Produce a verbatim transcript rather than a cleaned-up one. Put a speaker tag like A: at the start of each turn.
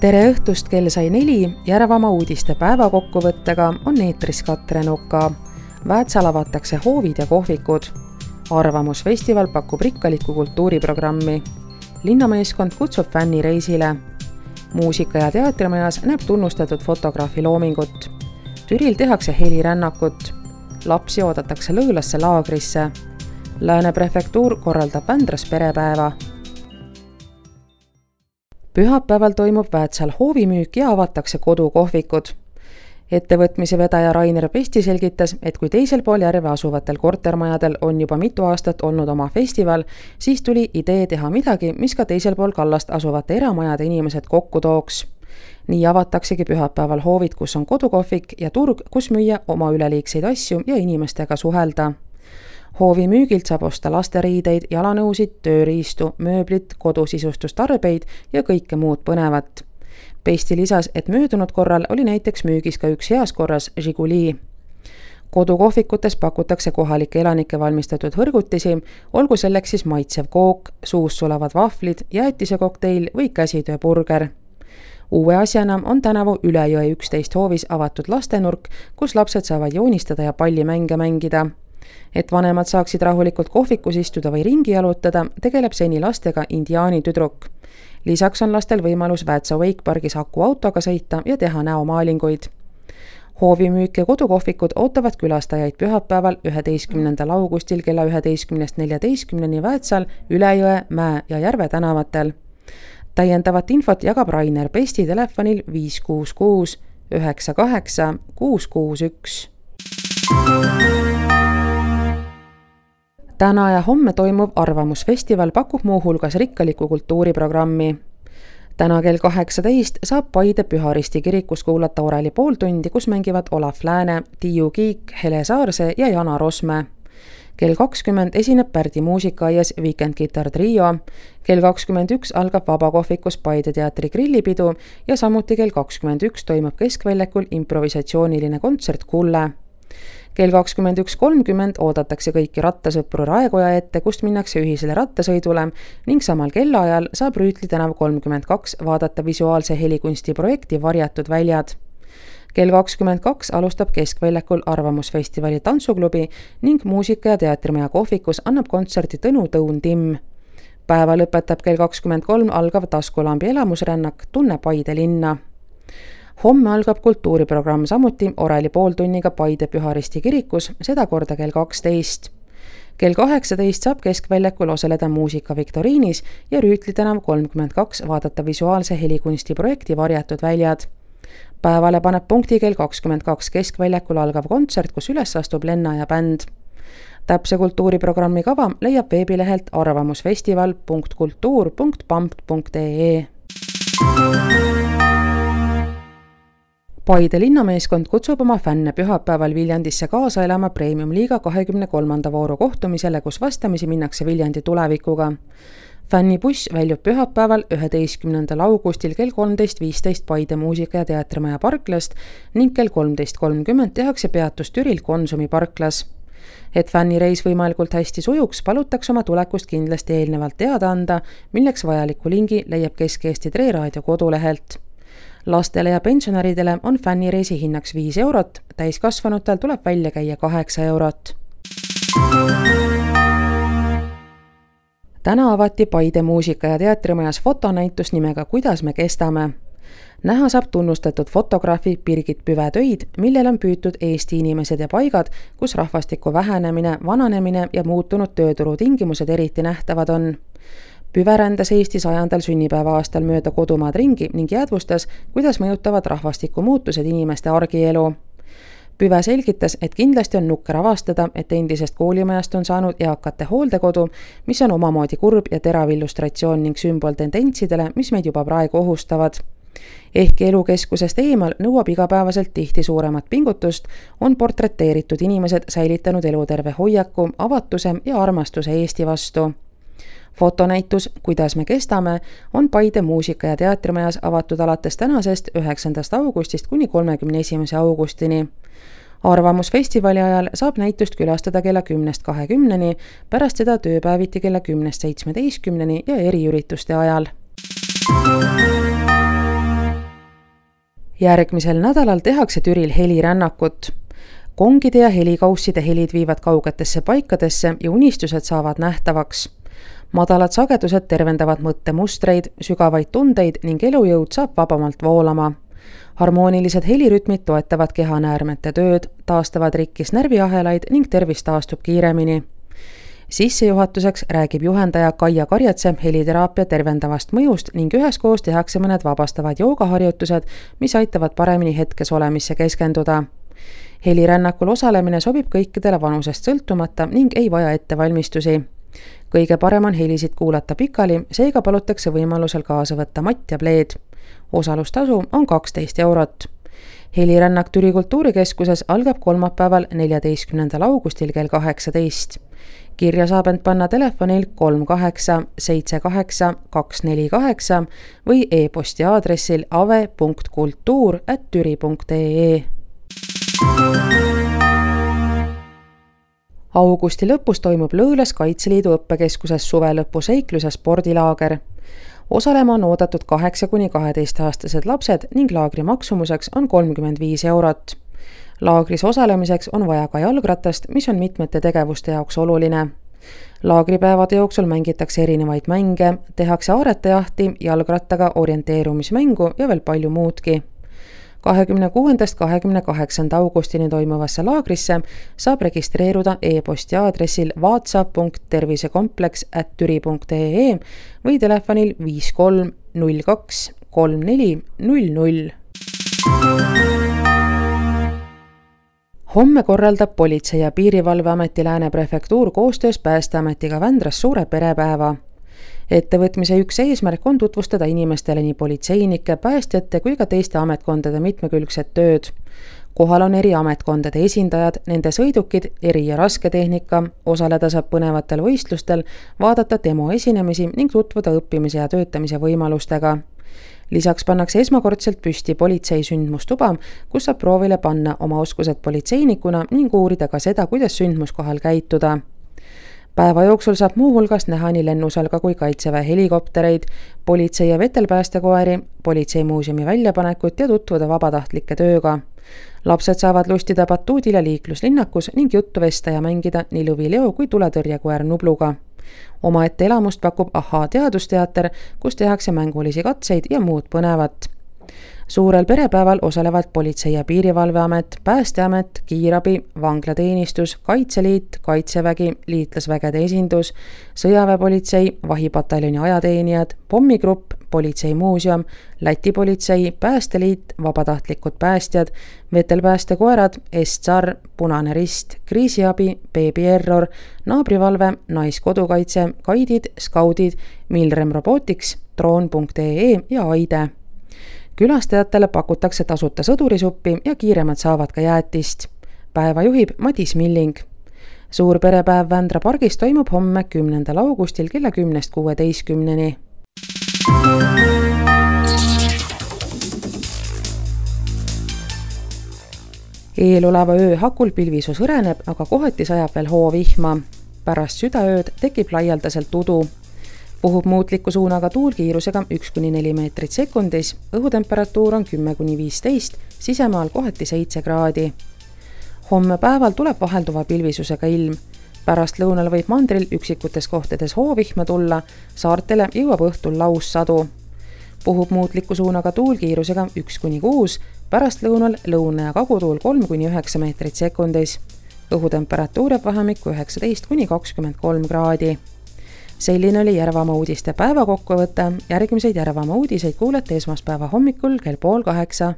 A: Tere õhtust, kell sai neli, Järvamaa uudiste päevakokkuvõttega on eetris Katre Nuka. Väätsal avatakse hoovid ja kohvikud. Arvamusfestival pakub rikkalikku kultuuriprogrammi. Linnameeskond kutsub fänni reisile. Muusika- ja teatrimajas näeb tunnustatud fotograafi loomingut. Türil tehakse helirännakut. Lapsi oodatakse Lõõlasse laagrisse. Lääne prefektuur korraldab Vändras perepäeva. Pühapäeval toimub Väätsal hoovimüük ja avatakse kodukohvikud. Ettevõtmise vedaja Rainer Pesti selgitas, et kui teisel pool järve asuvatel kortermajadel on juba mitu aastat olnud oma festival, siis tuli idee teha midagi, mis ka teisel pool kallast asuvate eramajade inimesed kokku tooks. Nii avataksegi pühapäeval hoovid, kus on kodukohvik ja turg, kus müüa oma üleliigseid asju ja inimestega suhelda. Hoovi müügilt saab osta lasteriideid, jalanõusid, tööriistu, mööblit, kodusistustarbeid ja kõike muud põnevat. Pesti lisas, et möödunud korral oli näiteks müügis ka üks heas korras Žiguli. Kodukohvikutes pakutakse kohalike elanike valmistatud hõrgutisi, olgu selleks siis maitsev kook, suus sulavad vahvlid, jäätise kokteil või käsitööburger. Uue asjana on tänavu Ülejõe üksteist hoovis avatud lastenurk, kus lapsed saavad joonistada ja pallimänge mängida. Et vanemad saaksid rahulikult kohvikus istuda või ringi jalutada, tegeleb seni lastega indiaani tüdruk. Lisaks on lastel võimalus Väätsa Wakepargis akuautoga sõita ja teha näomaalinguid. Hoovimüük ja kodukohvikud ootavad külastajaid pühapäeval üheteistkümnendal augustil kella üheteistkümnest neljateistkümneni Väätsal, Ülejõe, Mäe ja Järve tänavatel. Täiendavat infot jagab Rainer Pesti telefonil viis kuus kuus üheksa kaheksa kuus kuus üks. Täna ja homme toimuv Arvamusfestival pakub muuhulgas rikkalikku kultuuriprogrammi. Täna kell kaheksateist saab Paide Püharisti kirikus kuulata oreli pool tundi, kus mängivad Olav Lääne, Tiiu Kiik, Hele Saarse ja Jana Rosme. Kell kakskümmend esineb Pärdi muusikaaias Weekend Guitar Trio. Kell kakskümmend üks algab vabakohvikus Paide teatri grillipidu ja samuti kell kakskümmend üks toimub Keskväljakul improvisatsiooniline kontsert Kulle. Kell kakskümmend üks kolmkümmend oodatakse kõiki rattasõpru Raekoja ette, kust minnakse ühisele rattasõidule ning samal kellaajal saab Rüütli tänav kolmkümmend kaks vaadata visuaalse helikunsti projekti Varjatud väljad. Kell kakskümmend kaks alustab Keskväljakul Arvamusfestivali tantsuklubi ning muusika- ja teatrimaja kohvikus annab kontserti Tõnu Tõun Timm. Päeva lõpetab kell kakskümmend kolm algav taskulambi elamusrännak Tunne Paide linna. Homme algab kultuuriprogramm samuti oreli pooltunniga Paide Püharisti kirikus, seda korda kell kaksteist. Kell kaheksateist saab Keskväljakul osaleda muusika viktoriinis ja Rüütli tänav kolmkümmend kaks vaadata visuaalse helikunsti projekti Varjatud väljad. Päevale paneb punkti kell kakskümmend kaks Keskväljakul algav kontsert, kus üles astub Lenna ja bänd. Täpse kultuuriprogrammi kava leiab veebilehelt arvamusfestival punkt kultuur punkt pamp punkt ee. Paide linnameeskond kutsub oma fänne pühapäeval Viljandisse kaasa elama Premium-liiga kahekümne kolmanda vooru kohtumisele, kus vastamisi minnakse Viljandi tulevikuga. Fännibuss väljub pühapäeval üheteistkümnendal augustil kell kolmteist viisteist Paide muusika- ja teatrimaja parklast ning kell kolmteist kolmkümmend tehakse peatus Türil Konsumi parklas. Et fännireis võimalikult hästi sujuks, palutakse oma tulekust kindlasti eelnevalt teada anda, milleks vajaliku lingi leiab Kesk-Eesti Tre Raadio kodulehelt. Lastele ja pensionäridele on fännireisi hinnaks viis eurot, täiskasvanutel tuleb välja käia kaheksa eurot. Täna avati Paide muusika- ja teatrimajas fotonäitus nimega Kuidas me kestame. Näha saab tunnustatud fotograafi Birgit Püve töid, millel on püütud Eesti inimesed ja paigad, kus rahvastiku vähenemine, vananemine ja muutunud tööturu tingimused eriti nähtavad on. Püve rändas Eesti sajandal sünnipäeva aastal mööda kodumaad ringi ning jäädvustas, kuidas mõjutavad rahvastiku muutused inimeste argielu. Püve selgitas, et kindlasti on nukker avastada, et endisest koolimajast on saanud eakate hooldekodu, mis on omamoodi kurb ja terav illustratsioon ning sümbol tendentsidele, mis meid juba praegu ohustavad. Ehkki elukeskusest eemal nõuab igapäevaselt tihti suuremat pingutust, on portreteeritud inimesed säilitanud eluterve hoiaku, avatuse ja armastuse Eesti vastu. Fotonäitus Kuidas me kestame on Paide muusika- ja teatrimajas avatud alates tänasest üheksandast augustist kuni kolmekümne esimese augustini. Arvamusfestivali ajal saab näitust külastada kella kümnest kahekümneni, pärast seda tööpäeviti kella kümnest seitsmeteistkümneni ja eriürituste ajal. Järgmisel nädalal tehakse Türil helirännakut. Kongide ja helikausside helid viivad kaugetesse paikadesse ja unistused saavad nähtavaks. Madalad sagedused tervendavad mõttemustreid, sügavaid tundeid ning elujõud saab vabamalt voolama. Harmoonilised helirütmid toetavad kehanäärmete tööd, taastavad rikkis närviahelaid ning tervis taastub kiiremini. Sissejuhatuseks räägib juhendaja Kaia Karjatse heliteraapia tervendavast mõjust ning üheskoos tehakse mõned vabastavad joogaharjutused, mis aitavad paremini hetkes olemisse keskenduda. Helirännakul osalemine sobib kõikidele vanusest sõltumata ning ei vaja ettevalmistusi. Kõige parem on helisid kuulata pikali, seega palutakse võimalusel kaasa võtta matt ja pleed. Osalustasu on kaksteist eurot. Helirännak Türi kultuurikeskuses algab kolmapäeval neljateistkümnendal augustil kell kaheksateist. Kirja saab end panna telefonil kolm kaheksa seitse kaheksa kaks neli kaheksa või e-posti aadressil ave punkt kultuur ät türi punkt ee. Augusti lõpus toimub Lõõles Kaitseliidu õppekeskuses suvelõpu seiklus- ja spordilaager. Osalema on oodatud kaheksa kuni kaheteistaastased lapsed ning laagri maksumuseks on kolmkümmend viis eurot. Laagris osalemiseks on vaja ka jalgratast, mis on mitmete tegevuste jaoks oluline. Laagripäevade jooksul mängitakse erinevaid mänge, tehakse aaretajahti, jalgrattaga orienteerumismängu ja veel palju muudki. kahekümne kuuendast kahekümne kaheksanda augustini toimuvasse laagrisse saab registreeruda e-posti aadressil vaatsa punkt tervisekompleks ät türi punkt ee või telefonil viis kolm null kaks kolm neli null null. Homme korraldab Politsei- ja Piirivalveameti Lääne prefektuur koostöös Päästeametiga Vändras suure perepäeva. Ettevõtmise üks eesmärk on tutvustada inimestele nii politseinike, päästjate kui ka teiste ametkondade mitmekülgset tööd. Kohal on eri ametkondade esindajad, nende sõidukid, eri- ja rasketehnika, osaleda saab põnevatel võistlustel, vaadata demo esinemisi ning tutvuda õppimise ja töötamise võimalustega. Lisaks pannakse esmakordselt püsti politsei sündmustuba, kus saab proovile panna oma oskused politseinikuna ning uurida ka seda, kuidas sündmuskohal käituda. Päeva jooksul saab muuhulgas näha nii lennusalga kui kaitseväe helikoptereid, politsei- ja vetelpäästekoeri, politseimuuseumi väljapanekut ja tutvuda vabatahtlike tööga. Lapsed saavad lustida batuudil ja liikluslinnakus ning juttu vesta ja mängida nii lõvileo kui tuletõrjekoer Nubluga. Omaette elamust pakub Ahhaa teadusteater, kus tehakse mängulisi katseid ja muud põnevat. Suurel perepäeval osalevad Politsei- ja Piirivalveamet, Päästeamet, Kiirabi, Vanglateenistus, Kaitseliit, Kaitsevägi, Liitlasvägede esindus, Sõjaväepolitsei, Vahipataljoni ajateenijad, Pommigrupp, Politseimuuseum, Läti politsei, Päästeliit, vabatahtlikud päästjad, vetelpäästekoerad, S-Tsar, Punane Rist, Kriisiabi, Baby Error, Naabrivalve, Naiskodukaitse, Kaidid, Skaudid, Milrem Robotics, droon punkt ee ja Aide. Külastajatele pakutakse tasuta sõdurisuppi ja kiiremad saavad ka jäätist. Päeva juhib Madis Milling. Suur perepäev Vändra pargis toimub homme kümnendal augustil kella kümnest kuueteistkümneni. Eeloleva öö hakul pilvisus hõreneb, aga kohati sajab veel hoovihma. Pärast südaööd tekib laialdaselt udu. Puhub muutliku suunaga tuul kiirusega üks kuni neli meetrit sekundis, õhutemperatuur on kümme kuni viisteist, sisemaal kohati seitse kraadi. Homme päeval tuleb vahelduva pilvisusega ilm. Pärast lõunal võib mandril üksikutes kohtades hoovihma tulla, saartele jõuab õhtul laussadu. Puhub muutliku suunaga tuul kiirusega üks kuni kuus, pärast lõunal lõuna- ja kagutuul kolm kuni üheksa meetrit sekundis. Õhutemperatuur jääb vahemikku üheksateist kuni kakskümmend kolm kraadi. Selline oli Järvamaa uudiste päevakokkuvõte. Järgmiseid Järvamaa uudiseid kuulete esmaspäeva hommikul kell pool kaheksa.